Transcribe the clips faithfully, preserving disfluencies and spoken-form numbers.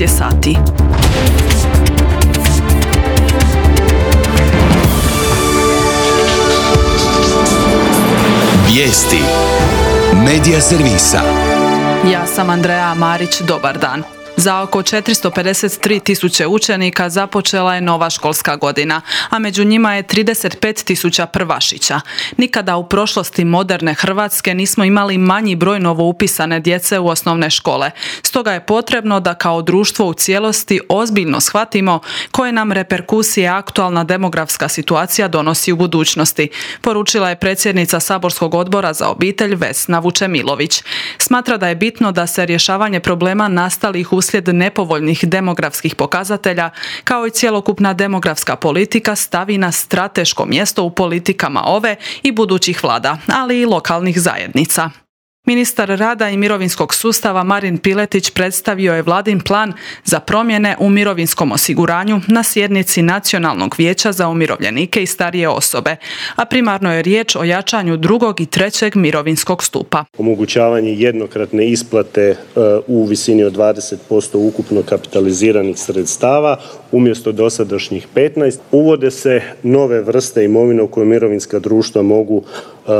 je sati. Vijesti Medija servisa. Ja sam Andreja Marić, dobar dan. Za oko četiristo pedeset tri tisuće učenika započela je nova školska godina, a među njima je trideset pet tisuća prvašića. Nikada u prošlosti moderne Hrvatske nismo imali manji broj novoupisane djece u osnovne škole. Stoga je potrebno da kao društvo u cijelosti ozbiljno shvatimo koje nam reperkusije aktualna demografska situacija donosi u budućnosti, poručila je predsjednica Saborskog odbora za obitelj Vesna Vučemilović. Smatra da je bitno da se rješavanje problema nastalih uslijed nepovoljnih demografskih pokazatelja, kao i cjelokupna demografska politika, stavi na strateško mjesto u politikama ove i budućih vlada, ali i lokalnih zajednica. Ministar rada i mirovinskog sustava Marin Piletić predstavio je vladin plan za promjene u mirovinskom osiguranju na sjednici Nacionalnog vijeća za umirovljenike i starije osobe, a primarno je riječ o jačanju drugog i trećeg mirovinskog stupa. Omogućavanje jednokratne isplate u visini od dvadeset posto ukupno kapitaliziranih sredstava umjesto dosadašnjih petnaest. Uvode se nove vrste imovine u koje mirovinska društva mogu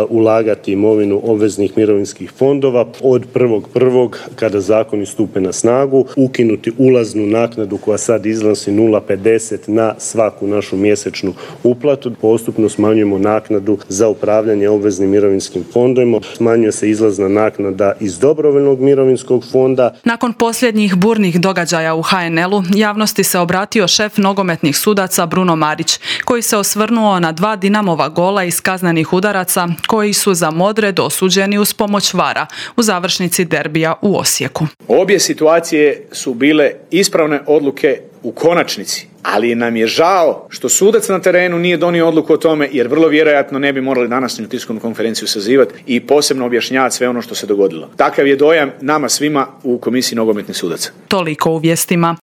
ulagati imovinu obveznih mirovinskih fondova od prvog prvog kada zakoni stupe na snagu, ukinuti ulaznu naknadu koja sad iznosi nula zarez pedeset na svaku našu mjesečnu uplatu. Postupno smanjujemo naknadu za upravljanje obveznim mirovinskim fondovima, smanjuje se izlazna naknada iz dobrovoljnog mirovinskog fonda. Nakon posljednjih burnih događaja u ha en el-u, javnosti se obratio šef nogometnih sudaca Bruno Marić, koji se osvrnuo na dva Dinamova gola iz kaznenih udaraca koji su za Modre dosuđeni uz pomoć vara u završnici derbija u Osijeku. Obje situacije su bile ispravne odluke u konačnici, ali nam je žao što sudac na terenu nije donio odluku o tome, jer vrlo vjerojatno ne bi morali danas na tiskovnu konferenciju sazivati i posebno objašnjavati sve ono što se dogodilo. Takav je dojam nama svima u Komisiji nogometnih sudaca. Toliko u vijestima.